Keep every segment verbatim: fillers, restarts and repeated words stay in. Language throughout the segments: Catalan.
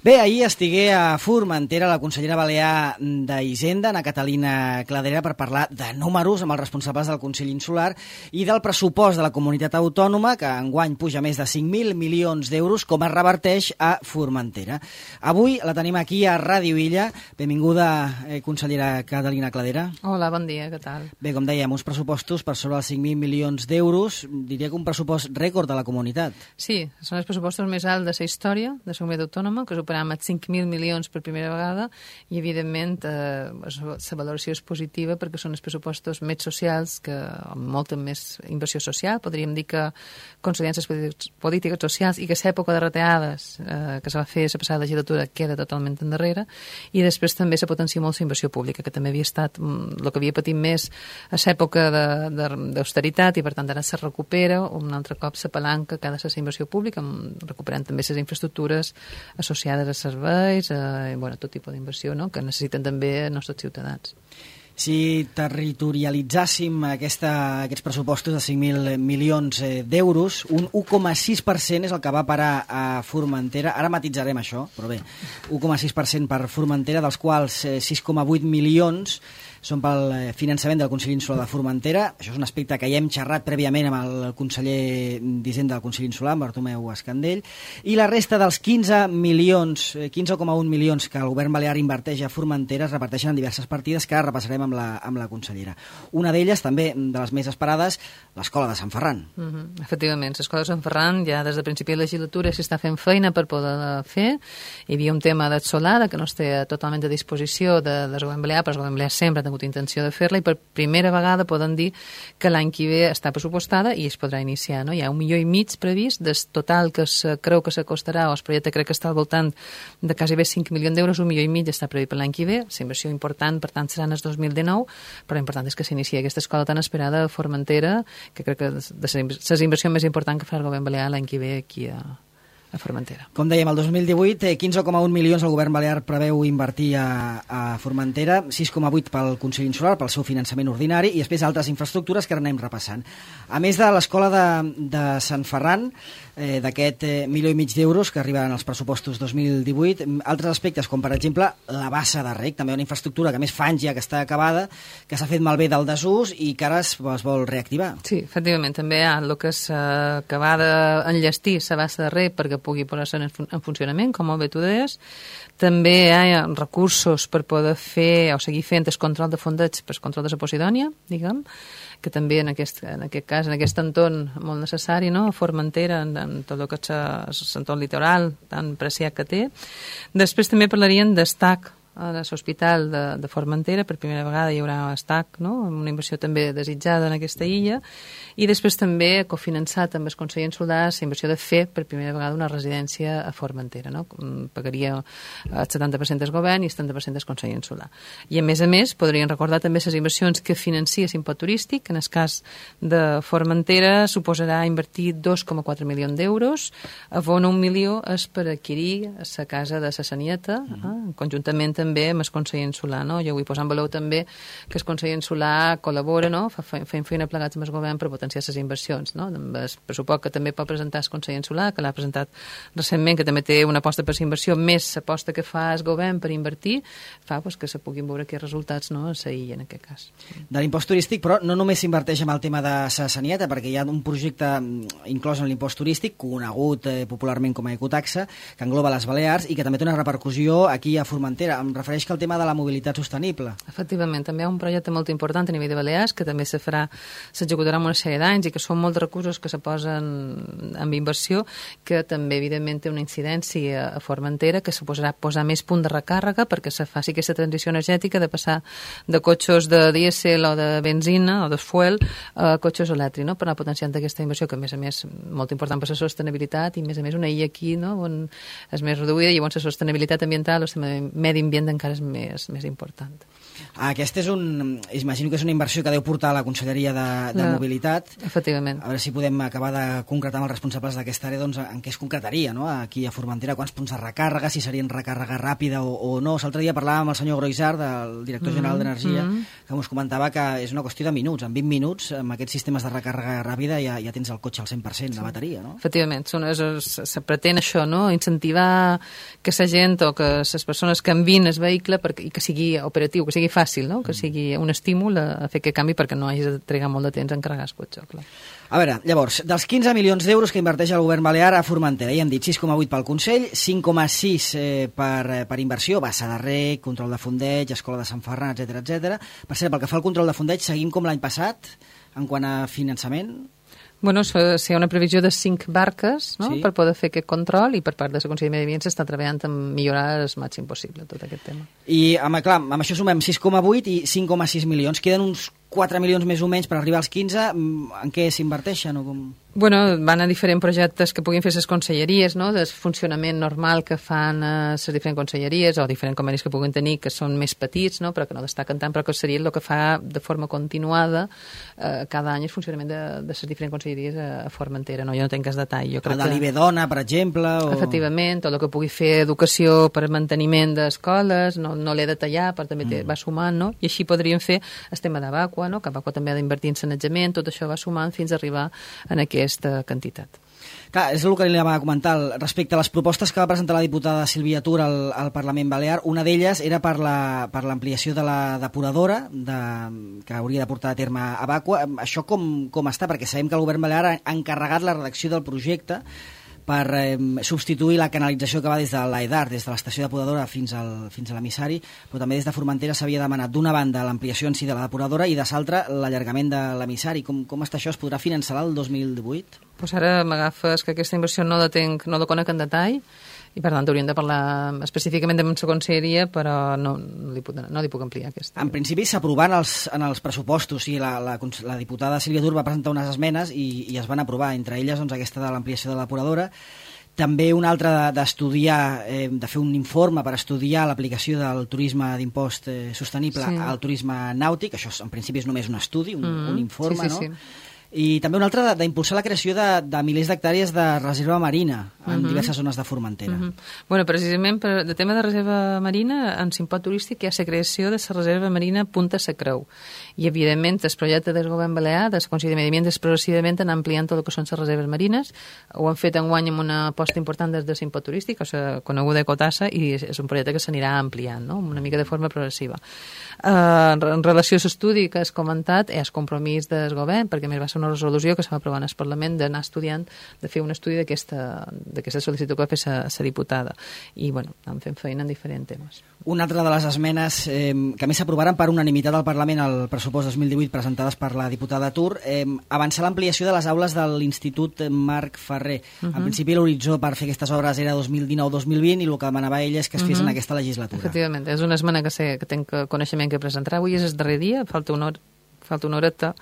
Bé, ahir estigué a Formentera la consellera balear d'Hisenda, Ana Catalina Cladera, per parlar de números amb els responsables del Consell Insular i del pressupost de la comunitat autònoma, que enguany puja més de cinc mil milions d'euros, com es reverteix a Formentera. Avui la tenim aquí a Ràdio Illa. Benvinguda, eh, consellera Catalina Cladera. Hola, bon dia, què tal? Bé, com dèiem, uns pressupostos per sobre els cinc mil milions d'euros. Diria que un pressupost rècord de la comunitat. Sí, són els pressupostos més alts de la història de la comunitat autònoma, que superaran amb cinc mil milions per primera vegada i, evidentment, eh, la valoració és positiva perquè són els pressupostos més socials, que amb molta més inversió social. Podríem dir que consolidant les polítiques socials i que l'època de retallades eh, que se va fer la passada legislatura queda totalment endarrere, i després també se potencia molt la inversió pública, que també havia estat el que havia patit més a l'època d'austeritat, i per tant ara se recupera un altre cop la palanca que ha de ser la inversió pública, recuperant també les infraestructures associades a serveis, eh, bueno, tot tipus d'inversió, no?, que necessiten també els nostres ciutadans. Si territorialitzàssim aquesta, aquests pressupostos de cinc mil milions d'euros, un u coma sis per cent és el que va parar a Formentera. Ara matitzarem això, però bé, u coma sis per cent per Formentera, dels quals sis coma vuit milions són pel finançament del Consell Insular de Formentera. Això és un aspecte que ja hem xerrat prèviament amb el conseller d'Hisenda del Consell Insular, Bartomeu Escandell, i la resta dels quinze milions, quinze coma un milions que el govern balear inverteix a Formentera es reparteixen en diverses partides que ara repassarem amb la, amb la consellera. Una d'elles, també de les més esperades, l'Escola de Sant Ferran. Mm-hmm. Efectivament, l'Escola de Sant Ferran ja des de principi de legislatura s'està fent feina per poder fer. Hi havia un tema d'Atsolada que no es té totalment a disposició de, del govern balear, però el govern balear sempre ha tingut intenció de fer-la, i per primera vegada poden dir que l'any que ve està pressupostada i es podrà iniciar, no? Hi ha un milió i mig previst, del total que es creu que s'acostarà, o el projecte crec que està al voltant de quasi bé cinc milions d'euros, un milió i mig està previst per l'any que ve. La inversió important, per tant, serà en el dos mil dinou, però l'important és que s'inicia aquesta escola tan esperada a Formentera, que crec que és de les inversions més importants que farà el govern balear l'any que ve aquí a a Formentera. Com dèiem, el dos mil divuit, quinze coma un milions el govern balear preveu invertir a, a Formentera, sis coma vuit pel Consell Insular, pel seu finançament ordinari, i després altres infraestructures que ara anem repassant. A més de l'escola de, de Sant Ferran, eh, d'aquest eh, milió i mig d'euros que arriben als pressupostos dos mil divuit, altres aspectes, com per exemple la bassa de rec, també una infraestructura que més fa anys ja que està acabada, que s'ha fet malbé del desús i que ara es, es vol reactivar. Sí, efectivament, també hi ha el que s'acaba d'enllestir la bassa de rec perquè pugui posar-se en, fun en funcionament, com molt bé tu deies. També hi ha recursos per poder fer o seguir fent el control de fondeig per el control de la Posidònia, diguem, que també en aquest, en aquest cas, en aquest entorn molt necessari, no?, a Formentera, en, en tot el que és l'entorn litoral tan preciat que té. Després també parlarien d'estac a l'Hospital de, de Formentera. Per primera vegada hi haurà estac, no?, amb una inversió també desitjada en aquesta illa, i després també cofinançat amb el Consell Insular la inversió de fer per primera vegada una residència a Formentera, no? Pagaria el setanta per cent del govern i el setanta per cent del Consell Insular. I a més a més podrien recordar també les inversions que financia l'impost turístic, que en el cas de Formentera suposarà invertir dos coma quatre milions d'euros, on un milió és per adquirir la casa de la Sanieta, eh? Conjuntament també amb el Consell Insular, no? Jo vull posar en valor també que el Consell Insular col·labora, no?, fent feina plegats amb el govern per potenciar les inversions, no?, amb el pressupost que també pot presentar el Consell Insular, que l'ha presentat recentment, que també té una aposta per la inversió, més l'aposta que fa el govern per invertir, fa pues, que se puguin veure aquests resultats, no?, a la illa en aquest cas. De l'impost turístic, però no només s'inverteix en el tema de la Sanieta, perquè hi ha un projecte inclòs en l'impost turístic, conegut eh, popularment com a ecotaxa, que engloba les Balears i que també té una repercussió aquí a Formentera. Em refereix que el tema de la mobilitat sostenible. Efectivament, també hi ha un projecte molt important a nivell de Balears, que també se farà, s'executarà en una sèrie d'anys i que són molts recursos que se posen en inversió, que també evidentment té una incidència a Formentera, que suposarà posar més punt de recàrrega perquè se faci aquesta transició energètica de passar de cotxes de dièsel o de benzina o de fuel a cotxes elèctrics, no?, per anar potenciant aquesta inversió, que a més a més molt important per la sostenibilitat, i a més a més una illa aquí, no?, on és més reduïda, i on la sostenibilitat ambiental, o el medi ambient encara és més, més important. Aquesta és un... Imagino que és una inversió que deu portar a la Conselleria de, de no, Mobilitat. Efectivament. A veure si podem acabar de concretar amb els responsables d'aquesta àrea doncs, en què es concretaria, no? Aquí a Formentera, quants punts de recàrrega, si serien recàrrega ràpida o, o no. L'altre dia parlàvem amb el senyor Groisart, del director general mm -hmm. d'Energia, mm -hmm. que ens comentava que és una qüestió de minuts. En vint minuts, amb aquests sistemes de recàrrega ràpida, ja, ja tens el cotxe al cent per cent de bateria, no? Efectivament, són, es, se pretén això, no? Incentivar que la gent o que les persones canviïn el vehicle perquè, i que sigui operatiu, que sigui fàcil, no? Que sigui un estímul a, a fer aquest canvi perquè no hagis de trigar molt de temps en carregar el cotxe, clar. A veure, llavors, dels quinze milions d'euros que inverteix el govern balear a Formentera, ja hem dit sis coma vuit pel Consell, cinc coma sis eh, per, per inversió, bassa de rec, control de fondeig, escola de Sant Ferran, etcètera, etcètera. Per cert, pel que fa al control de fondeig, seguim com l'any passat, en quant a finançament? Bueno, si hi ha una previsió de cinc barques, no?, sí, per poder fer aquest control, i per part de la Conselleria de Medi Ambient s'està treballant en millorar el màxim possible tot aquest tema. I amb, clar, amb això sumem sis coma vuit i cinc coma sis milions. Queden uns quatre milions més o menys per arribar als quinze. En què s'inverteixen o com...? Bueno, van a diferents projectes que puguin fer les conselleries, no?, del funcionament normal que fan les diferents conselleries o diferents convenis que puguin tenir, que són més petits, no?, però que no destaquen tant, però que seria el que fa de forma continuada eh, cada any el funcionament de, de les diferents conselleries a, a Formentera. No? Jo no tenc cas detall. Jo crec el de l'I B Dona, per exemple? O... Efectivament, tot el que pugui fer educació per manteniment d'escoles, no, no l'he de tallar, però també mm. va sumant, no?, i així podríem fer el tema d'Abaqua, no?, que Abaqua també ha d'invertir en sanejament, tot això va sumant fins a arribar en aquest aquesta quantitat. Clar, és el que li anava a comentar. Respecte a les propostes que va presentar la diputada Sílvia Tur al, al Parlament Balear, una d'elles era per la, per l'ampliació de la depuradora de, que hauria de portar a terme Abaqua. Això com, com està? Perquè sabem que el govern balear ha encarregat la redacció del projecte per eh, substituir la canalització que va des de l'Aedar, des de l'estació depuradora fins, al, fins a l'emissari, però també des de Formentera s'havia demanat d'una banda l'ampliació en si de la depuradora i de l'altra l'allargament de l'emissari. Com, com està això? Es podrà finançar el dos mil divuit? Pues ara m'agafes que aquesta inversió no la tenc, no la conec en detall, i per tant hauríem de parlar específicament de la conselleria, però no, no, li puc, no li puc ampliar aquesta. En principi s'aprovar en, els, en els pressupostos, i la, la, la diputada Sílvia Tur va presentar unes esmenes i, i es van aprovar, entre elles doncs, aquesta de l'ampliació de la depuradora. També una altra d'estudiar, eh, de fer un informe per estudiar l'aplicació del turisme d'impost eh, sostenible sí. al turisme nàutic. Això en principi és només un estudi, un, mm-hmm. un informe, sí, sí, no? Sí. I també una altra d'impulsar la creació de, de milers d'hectàrees de reserva marina en uh-huh. diverses zones de Formentera. Uh-huh. Bueno, precisament per el tema de reserva marina, en Simpot Turístic hi ha la creació de la reserva marina Punta Sa Creu. I, evidentment, el projecte del govern balear, de la Conselleria de Medi Ambient, és progressivament anar ampliant tot el que són les reserves marines. Ho han fet enguany amb una aposta important des de Simpot Turístic, o sigui, coneguda Ecotassa, i és un projecte que s'anirà ampliant, no?, una mica de forma progressiva. Uh, en relació a l'estudi que has comentat, és compromís del govern, perquè més va ser una resolució que s'ha aprovat en el Parlament d'anar estudiant, de fer un estudi d'aquesta sol·licitud que va fer la diputada. I, bueno, anem fent feina en diferents temes. Una altra de les esmenes eh, que més s'aprovaran per unanimitat al Parlament al pressupost dos mil divuit presentades per la diputada Tur, eh, avançar l'ampliació de les aules de l'Institut Marc Ferrer. Uh -huh. En principi l'horitzó per fer aquestes obres era dos mil dinou dos mil vint i el que demanava ella és que es fes uh -huh. en aquesta legislatura. Efectivament, és una esmena que sé que tenc coneixement que presentarà. Avui és el darrer dia, falta una hora falta una horeta,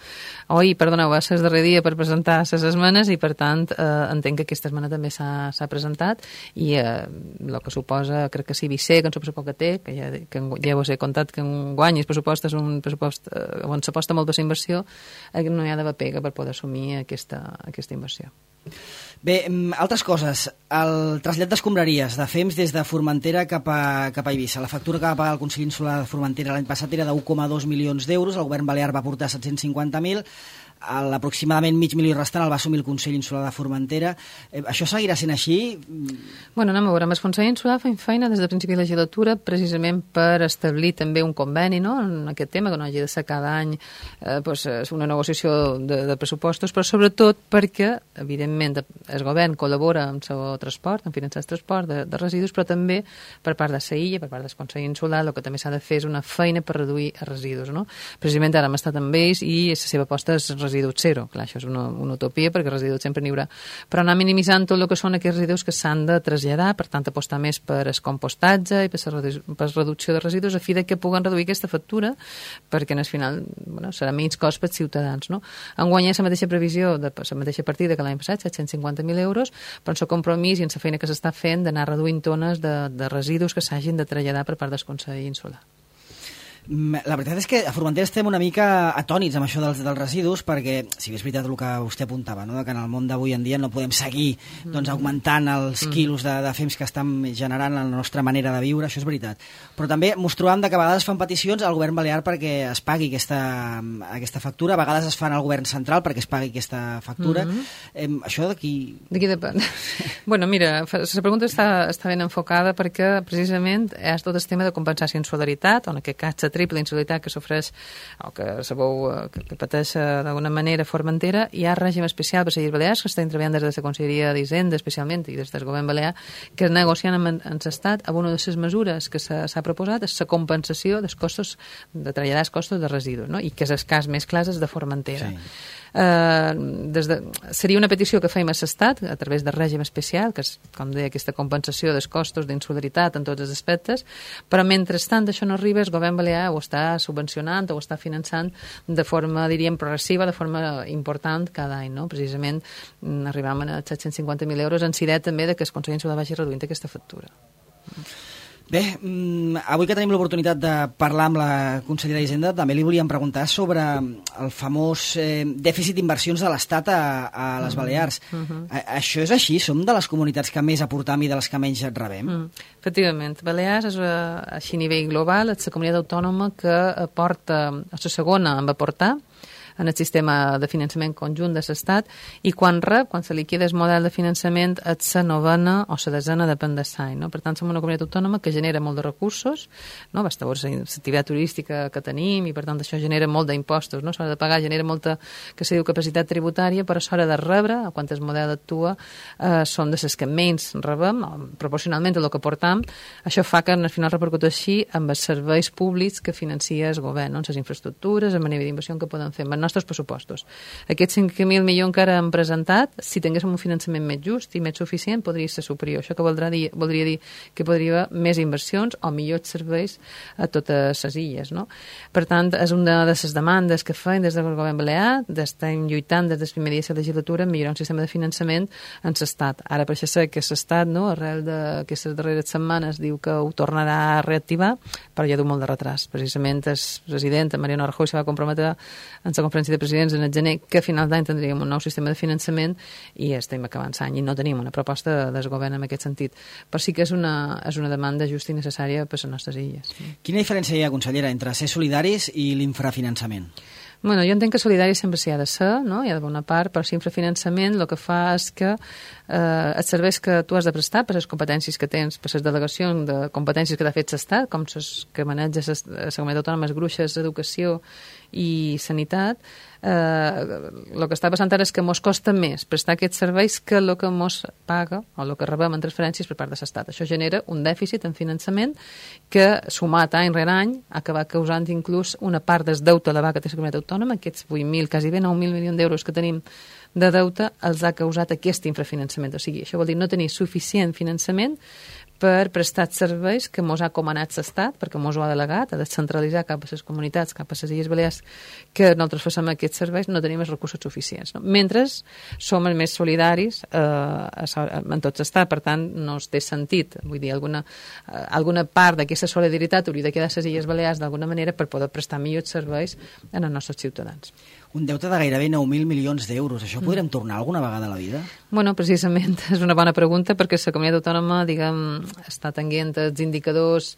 oi, perdoneu, va ser el darrer dia per presentar les esmenes i, per tant, eh, entenc que aquesta esmena també s'ha presentat i eh, el que suposa, crec que sí, Vicé, que en suposo que té, que ja, que ja us he contat que en guany el pressupost és un pressupost eh, on s'aposta molt de inversió, eh, no hi ha d'haver pega per poder assumir aquesta, aquesta inversió. Bé, altres coses. El trasllat d'escombraries de Fems des de Formentera cap a, cap a Eivissa. La factura que va pagar el Consell Insular de Formentera l'any passat era de un coma dos milions d'euros, el govern balear va aportar set-cents cinquanta mil, l'aproximadament mig milió restant el va assumir el Consell Insular de Formentera. Eh, això seguirà sent així? Bueno, anem a veure, amb el Consell Insular fem feina des de principi de legislatura precisament per establir també un conveni, no?, en aquest tema, que no hagi de ser cada any eh, pues, una negociació de, de pressupostos, però sobretot perquè, evidentment, el govern col·labora amb el transport, en finançar el transport de, de residus, però també per part de la I A, per part del Consell Insular, el que també s'ha de fer és una feina per reduir els residus, no? Precisament ara hem estat amb ells i la seva aposta és residus zero. Clar, això és una, una utopia perquè residus sempre n'hi haurà. Però anar minimitzant tot el que són aquests residus que s'han de traslladar, per tant, apostar més per el compostatge i per la redu per reducció de residus a fi de que puguen reduir aquesta factura perquè, al final, bueno, serà menys cost pels ciutadans, no? Enguany hi ha la mateixa previsió, de la mateixa partida que l'any passat, set-cents cinquanta mil euros, però en el compromís i en la feina que s'està fent d'anar reduint tones de, de residus que s'hagin de traslladar per part del Consell Insular. La veritat és que a Formentera estem una mica atònits amb això dels, dels residus, perquè, si bé és veritat el que vostè apuntava, no? Que en el món d'avui en dia no podem seguir doncs, augmentant els quilos de, de fems que estan generant la nostra manera de viure, això és veritat. Però també mos trobam que a vegades fan peticions al govern balear perquè es pagui aquesta, aquesta factura, a vegades es fan al govern central perquè es pagui aquesta factura. Mm-hmm. eh, això d'aquí... D'aquí depèn. Bueno, mira, la pregunta està, està ben enfocada perquè precisament és tot el tema de compensació en solidaritat, on en aquest cas la triple insolidaritat que s'ofreix o que sabeu que, que pateix d'alguna manera Formentera. Hi ha règim especial per les Illes Balears que estan treballant des de la Conselleria d'Hisenda especialment i des del govern balear, que negociant amb, amb l'Estat amb una de les mesures que s'ha proposat és la compensació dels costos de traslladar els costos de residus, no? I que és el cas més clar és de Formentera. Sí. Uh, des de, seria una petició que fèiem a l'Estat a través del règim especial, que és, com deia, aquesta compensació dels costos d'insolidaritat en tots els aspectes, però mentrestant això no arriba, el govern balear ho està subvencionant o ho està finançant de forma, diríem, progressiva, de forma important cada any, no? Precisament arribam a set-cents cinquanta mil euros en sidet també de que el Consell Insular vagi reduint aquesta factura. Bé, avui que tenim l'oportunitat de parlar amb la consellera d'Hisenda, també li volíem preguntar sobre el famós eh, dèficit d'inversions de l'Estat a, a les Balears. Uh -huh. a, això és així? Som de les comunitats que més aportam i de les que menys rebem? Uh -huh. Efectivament. Balears és, així a nivell global, és la comunitat autònoma que aporta, és la segona en aportar en el sistema de finançament conjunt de l'Estat, i quan rep, quan se liquida el model de finançament, és la novena o la desena, depèn de l'any. No? Per tant, som una comunitat autònoma que genera molt de recursos, no? Basta veure l'activitat turística que tenim, i per tant això genera molt d'impostos, no? S'ha de pagar, genera molta, que se diu, capacitat tributària, però s'ha de rebre, quan el model actua, eh, són de les que menys rebem, proporcionalment a el que portam. Això fa que al final repercuteixi amb els serveis públics que financia el govern, no? Les infraestructures, amb el nivell d'inversió que poden fer amb els nostres pressupostos. Aquests cinc mil milions que ara hem presentat, si tinguéssim un finançament més just i més suficient, podria ser superior. Això que voldrà dir, voldria dir que podria haver més inversions o millors serveis a totes les illes, no? Per tant, és una de les demandes que feim des del govern balear, estem lluitant des del primer dia de la legislatura en millorar un sistema de finançament en l'Estat. Ara, per això sé que l'Estat, no, arrel d'aquestes darreres setmanes, diu que ho tornarà a reactivar, però ja du molt de retras. Precisament el president, Mariano Rajoy, se va comprometre en la conferència de presidents en el gener que a final d'any tindríem un nou sistema de finançament i estem acabant l'any i no tenim una proposta del govern en aquest sentit. Però sí que és una, és una demanda justa i necessària per a les nostres illes. Quina diferència hi ha, consellera, entre ser solidaris i l'infrafinançament? Bueno, jo entenc que solidari sempre s'hi ha de ser, no? Hi ha de bona part, però si infrafinançament el que fa és que eh, els serveis que tu has de prestar per les competències que tens, per les delegacions de competències que t'ha fet l'Estat, com les que maneja la comunitat autònoma, les gruixes, educació i sanitat, eh, el que està passant ara és que mos costa més prestar aquests serveis que el que mos paga o el que rebem en transferències per part de l'Estat. Això genera un dèficit en finançament que, sumat any rere any, ha acabat causant inclús una part del deute elevat que té la comunitat autònoma, aquests vuit mil, quasi bé nou mil milions d'euros que tenim de deute, els ha causat aquest infrafinançament. O sigui, això vol dir no tenir suficient finançament per prestar serveis que mos ha comanat l'Estat, perquè mos ho ha delegat, ha de centralitzar cap a les comunitats, cap a les Illes Balears, que nosaltres facem aquests serveis, no tenim els recursos suficients. No? Mentre som els més solidaris eh, en tot l'Estat, per tant, no es té sentit. Vull dir, alguna, eh, alguna part d'aquesta solidaritat hauria de quedar a les Illes Balears d'alguna manera per poder prestar millors serveis en els nostres ciutadans. Un deute de gairebé nou mil milions d'euros. Això podrem tornar alguna vegada a la vida? Bueno, precisament, és una bona pregunta perquè la comunitat autònoma, diguem, està tenint els indicadors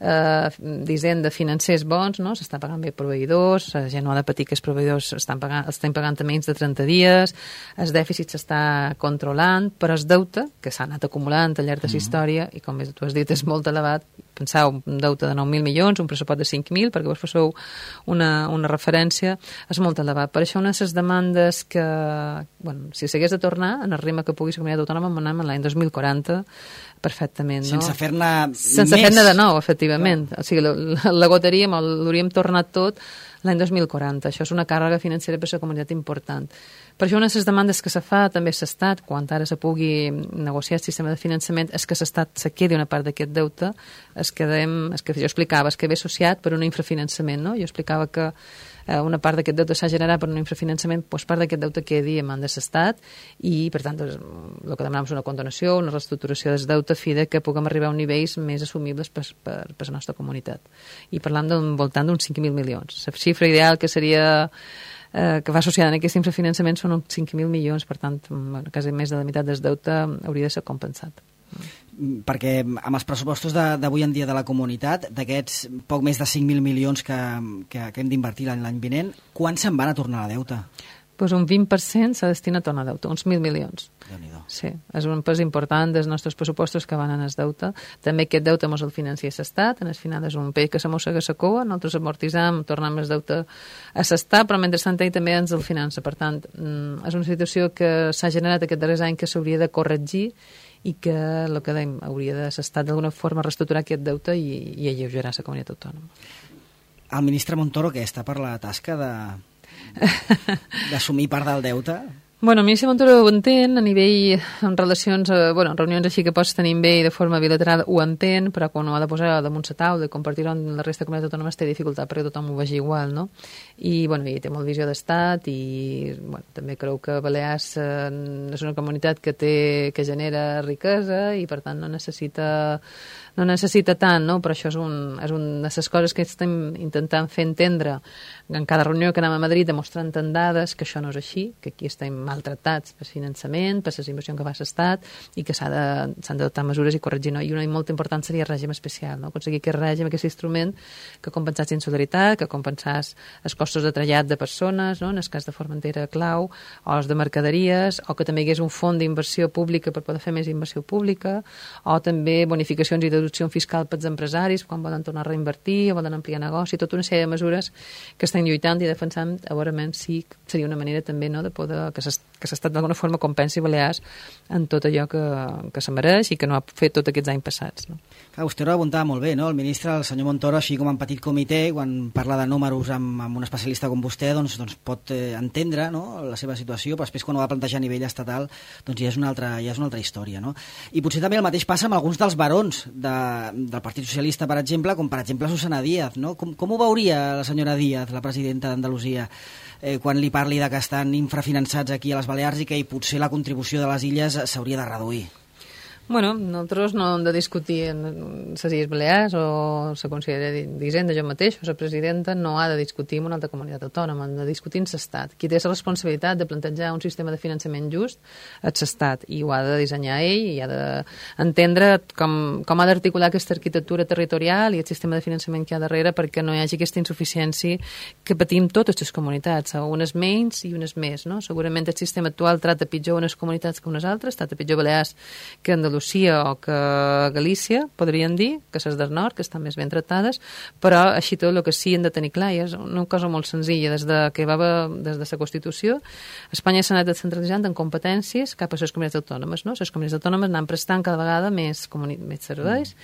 eh, d'hisenda financers bons, no? S'està pagant bé proveïdors, la gent no ha de patir que els proveïdors estan pagant, estan pagant a menys de trenta dies, el dèficit s'està controlant, però el deute, que s'ha anat acumulant al llarg de la història, i com bé tu has dit, és molt elevat. Penseu, un deute de nou mil milions, un pressupost de cinc mil, perquè vos passeu una, una referència, és molt elevat. Per això una de les demandes que, bueno, si s'hagués de tornar, en el ritme que pugui la comunitat autònoma, anem l'any dos mil quaranta, perfectament. No? Sense fer-ne Sense fer-ne de nou, efectivament. Clar. O sigui, la, la goteríem, l'hauríem tornat tot l'any dos mil quaranta. Això és una càrrega financera per a la comunitat important. Per això una de les demandes que se fa també a l'Estat, quan ara se pugui negociar el sistema de finançament, és que l'Estat se quedi una part d'aquest deute, es quedem, es que jo explicava, es que ve associat per un infrafinançament, no? Jo explicava que eh, una part d'aquest deute s'ha generat per un infrafinançament, doncs part d'aquest deute quedi en mans de l'Estat i, per tant, doncs, el que demanem és una condonació, una reestructuració del deute fi de que puguem arribar a nivells més assumibles per, per, per la nostra comunitat. I parlant d'un voltant d'uns cinc mil milions. La xifra ideal que seria eh, que va associada en aquest infrafinançament són uns cinc mil milions, per tant, bueno, quasi més de la meitat del deute hauria de ser compensat. Perquè amb els pressupostos d'avui en dia de la comunitat, d'aquests poc més de cinc mil milions que, que, que hem d'invertir l'any vinent, quan se'n van a tornar a deute? Pues un vint per cent s'ha destinat a tornar a deute, uns mil milions. Déu-n'hi-do. Sí, és un pes important dels nostres pressupostos que van en el deute. També aquest deute mos el financia l'Estat, en el final és un pell que s'amossega la cua, nosaltres amortitzam, tornem el deute a l'Estat, però mentrestant ell també ens el finança. Per tant, és una situació que s'ha generat aquest darrers any que s'hauria de corregir i que, el que dèiem, hauria de l'Estat d'alguna forma reestructurar aquest deute i, i alleugerar la comunitat autònoma. El ministre Montoro, que està per la tasca de d'assumir part del deute? Bueno, el ministre Montoro ho entén, a nivell, en relacions, eh, bueno, en reunions així que pots tenir amb ell de forma bilateral ho entén, però quan ho ha de posar damunt la taula i compartir-ho amb la resta de comunitats autònomes té dificultat perquè tothom ho vegi igual, no? I, bueno, i té molt visió d'estat i, bueno, també creu que Balears eh, és una comunitat que té, que genera riquesa i, per tant, no necessita no necessita tant, no? Però això és, un, és una de les coses que estem intentant fer entendre en cada reunió que anem a Madrid, demostrant en dades que això no és així, que aquí estem maltractats per finançament, per les inversions que fa l'Estat i que s'han d'adoptar mesures i corregir. No? I una molt important seria el règim especial, no? Aconseguir aquest règim, aquest instrument que compensés insolidaritat, que compensés els costos de trellat de persones, no? En el cas de Formentera clau, o els de mercaderies, o que també hi hagués un fons d'inversió pública per poder fer més inversió pública, o també bonificacions i deducció fiscal pels empresaris quan volen tornar a reinvertir o volen ampliar negoci, tota una sèrie de mesures que estem lluitant i defensant a veure si seria una manera també, no, de poder que l'Estat d'alguna forma compensi Balears en tot allò que, que se mereix i que no ha fet tots aquests anys passats. No? Clar, vostè ho apuntava molt bé, no? El ministre, el senyor Montoro, així com en petit comitè, quan parla de números amb, amb un especialista com vostè, doncs, doncs pot eh, entendre, no, la seva situació, però després quan ho va plantejar a nivell estatal doncs ja és una altra, ja és una altra història. No? I potser també el mateix passa amb alguns dels barons de, del Partit Socialista, per exemple, com per exemple Susana Díaz. No? Com, com ho veuria la senyora Díaz, la presidenta d'Andalusia, eh, quan li parli de que estan infrafinançats aquí a les Balears i que potser la contribució de les illes s'hauria de reduir? Bueno, nosaltres no hem de discutir en les Illes Balears o la Conselleria d'Hisenda, jo mateix, o la presidenta, no ha de discutir amb una altra comunitat autònoma, han de discutir amb l'Estat. Qui té la responsabilitat de plantejar un sistema de finançament just és l'Estat, i ho ha de dissenyar ell, i ha d'entendre com, com ha d'articular aquesta arquitectura territorial i el sistema de finançament que hi ha darrere perquè no hi hagi aquesta insuficiència que patim totes les comunitats, unes menys i unes més. No? Segurament el sistema actual trata pitjor unes comunitats que unes altres, trata pitjor Balears que Andalusia o que Galícia, podrien dir, que les del nord, que estan més ben tractades, però així tot el que sí hem de tenir clar, i és una cosa molt senzilla, des de que va des de la Constitució, Espanya s'ha anat descentralitzant en competències cap a les comunitats autònomes, no? Les comunitats autònomes anan prestant cada vegada més, més serveis,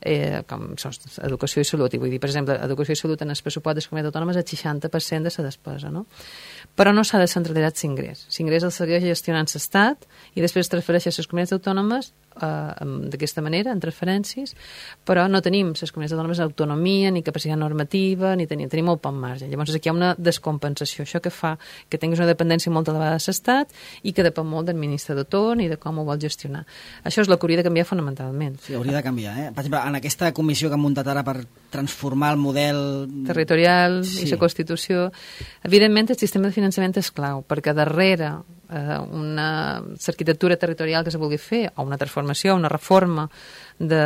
eh, com són educació i salut, i vull dir, per exemple, educació i salut en el pressupost de les comunitats autònomes és el seixanta per cent de la despesa, no? Però no s'ha descentralitzat l'ingrés. L'ingrés el segueix gestionant l'Estat i després transfereix a les comunitats autònomes eh, d'aquesta manera, en transferències, però no tenim les comunitats autònomes autonomia, ni capacitat normativa, ni tenim, tenim molt poc marge. Llavors aquí hi ha una descompensació, això que fa que tinguis una dependència molt elevada de l'Estat i que depèn molt del ministre de torn i de com ho vol gestionar. Això és el que hauria de canviar fonamentalment. Sí, hauria de canviar, eh? Per exemple, en aquesta comissió que han muntat ara per transformar el model territorial sí. i la Constitució, evidentment el sistema de finançament és clau, perquè darrere eh, una arquitectura territorial que se vulgui fer, o una transformació, una reforma de,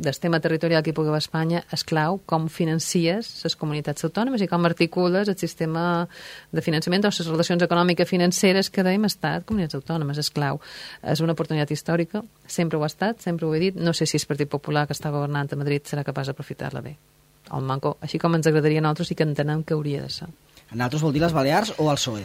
del tema territorial que hi pugui haver a Espanya, és clau com financies les comunitats autònomes i com articules el sistema de finançament o les relacions econòmiques financeres que dèiem estat comunitats autònomes, és clau. És una oportunitat històrica, sempre ho ha estat, sempre ho he dit, no sé si el Partit Popular que està governant a Madrid serà capaç d'aprofitar-la bé. El manco, així com ens agradaria a nosaltres i que entenem que hauria de ser. A nosaltres vol dir les Balears o el P S O E?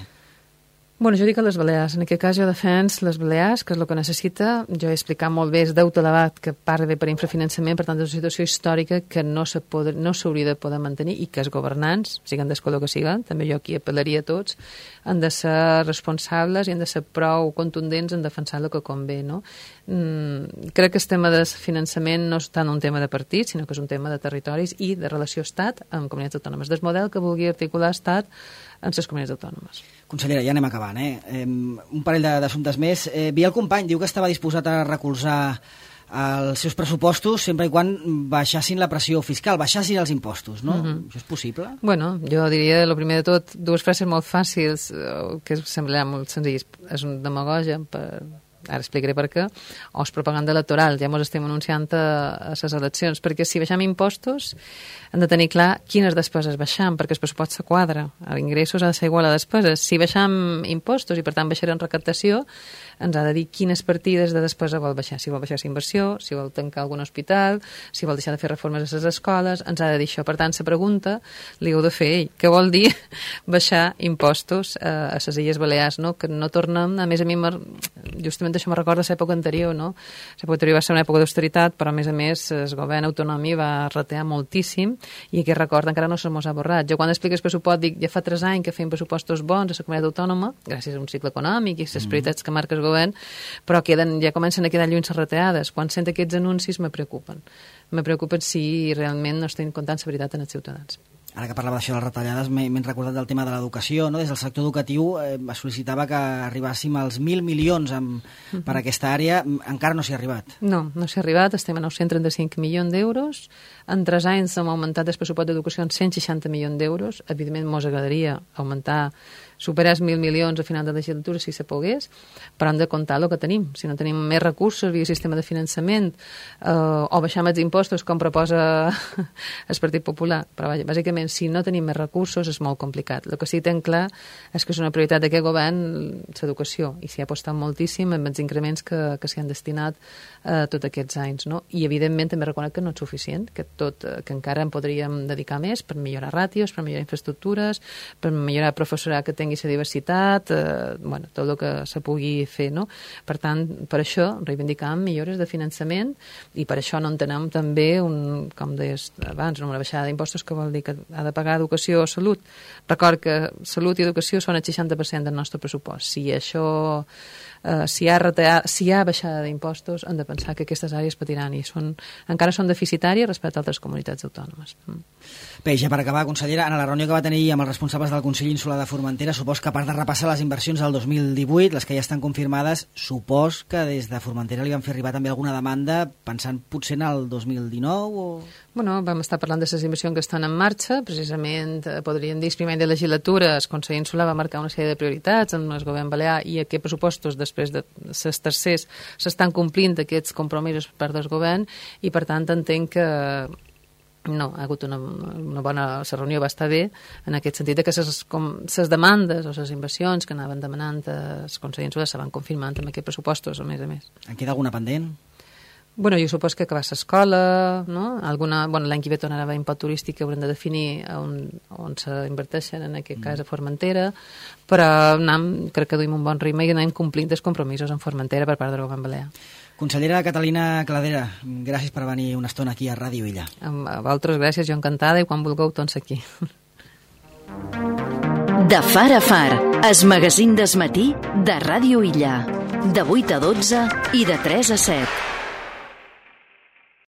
Bueno, jo dic a les Balears. En aquest cas jo defens les Balears, que és el que necessita. Jo he explicat molt bé, és deute elevat, que part ve per infrafinançament, per tant, és una situació històrica que no s'hauria no de poder mantenir i que els governants, siguin del color que siguin, també jo aquí apel·laria a tots, han de ser responsables i han de ser prou contundents en defensar el que convé, no? Mm, crec que el tema de finançament no és tant un tema de partit, sinó que és un tema de territoris i de relació Estat amb comunitats autònomes, del model que vulgui articular Estat en les comunitats autònomes. Consellera, ja anem acabant, eh? eh un parell d'assumptes més. Eh, Biel Company diu que estava disposat a recolzar els seus pressupostos sempre i quan baixassin la pressió fiscal, baixassin els impostos, no? Mm-hmm. Això és possible? Bueno, jo diria, el primer de tot, dues frases molt fàcils, que semblaran molt senzilles. És un demagogia, per... ara explicaré per què, o és propaganda electoral, ja ens estem anunciant a les eleccions, perquè si baixem impostos hem de tenir clar quines despeses baixam, perquè el pressupost se quadra, l'ingressos ha de ser igual a despeses. Si baixam impostos i per tant baixarem recaptació, ens ha de dir quines partides de despesa vol baixar, si vol baixar la inversió, si vol tancar algun hospital, si vol deixar de fer reformes a les escoles, ens ha de dir això. Per tant, la pregunta li heu de fer ell, què vol dir baixar impostos a, a les Illes Balears, no? Que no tornem, a més a mi justament això me recorda l'època anterior, no? L'època anterior va ser una època d'austeritat, però a més a més el govern autonòmic va ratear moltíssim i aquest record encara no se mos ha borrat. Jo quan explico el pressupost dic, ja fa tres anys que fem pressupostos bons a la comunitat autònoma, gràcies a un cicle econòmic i a les prioritats que marca el govern, però queden, ja comencen a quedar lluny les reteades. Quan sent aquests anuncis me preocupen. Me preocupen si realment no estem comptant la veritat en els ciutadans. Ara que parlava d'això de les retallades, m'he recordat del tema de l'educació, no? Des del sector educatiu eh, es sol·licitava que arribàssim als mil milions amb, uh-huh. per aquesta àrea. Encara no s'hi ha arribat. No, no s'hi ha arribat. Estem a nou-cents trenta-cinc milions d'euros. En tres anys hem augmentat el pressupost d'educació en cent seixanta milions d'euros. Evidentment, mos agradaria augmentar, superar els mil milions a final de legislatura si se pogués, però hem de comptar el que tenim. Si no tenim més recursos via sistema de finançament eh, o baixar els impostos, com proposa el Partit Popular. Però bàsicament, si no tenim més recursos, és molt complicat. El que sí que tenim clar és que és una prioritat d'aquest govern l'educació, i s'hi ha apostat moltíssim amb els increments que, que s'hi han destinat eh, tots aquests anys, no? I evidentment també reconec que no és suficient, que, tot, que encara en podríem dedicar més per millorar ràtios, per millorar infraestructures, per millorar professorat que tingui la diversitat, eh, bueno, tot el que se pugui fer, no? Per tant, per això reivindicam millores de finançament i per això no entenem també, un, com deies abans, una baixada d'impostos que vol dir que ha de pagar educació o salut. Record que salut i educació són el seixanta per cent del nostre pressupost. Si això, eh, si hi ha, retallar, si hi ha baixada d'impostos, hem de pensar que aquestes àrees patiran i són, encara són deficitàries respecte a altres comunitats autònomes. Mm. Bé, ja per acabar, consellera, en la reunió que va tenir amb els responsables del Consell Insular de Formentera, supos que a part de repassar les inversions del dos mil divuit, les que ja estan confirmades, supos que des de Formentera li van fer arribar també alguna demanda pensant potser en el dos mil dinou o... Bueno, vam estar parlant de les inversions que estan en marxa, precisament, eh, podríem dir, primer de legislatura, el Consell Insular va marcar una sèrie de prioritats amb el govern balear i aquests pressupostos, després de les tercers, s'estan complint aquests compromisos per part del govern i, per tant, entenc que no, ha hagut una, una bona... La reunió va estar bé, en aquest sentit que les demandes o les inversions que anaven demanant els Consell Insular se van confirmant amb aquests pressupostos, a més a més. En queda alguna pendent? Bueno, jo supos que acabar l'escola, no? Alguna, bueno, l'any que ve tornarà a haver import turístic que haurem de definir on, on s'inverteixen, en aquest cas a Formentera, però anem, crec que duim un bon ritme i anem complint els compromisos en Formentera per part del govern balear. Consellera Catalina Cladera, gràcies per venir una estona aquí a Ràdio Illa. A vosaltres gràcies, jo encantada, i quan vulgueu tots aquí. De Far a Far, es magazín d'esmatí de Ràdio Illa. De vuit a dotze i de tres a set.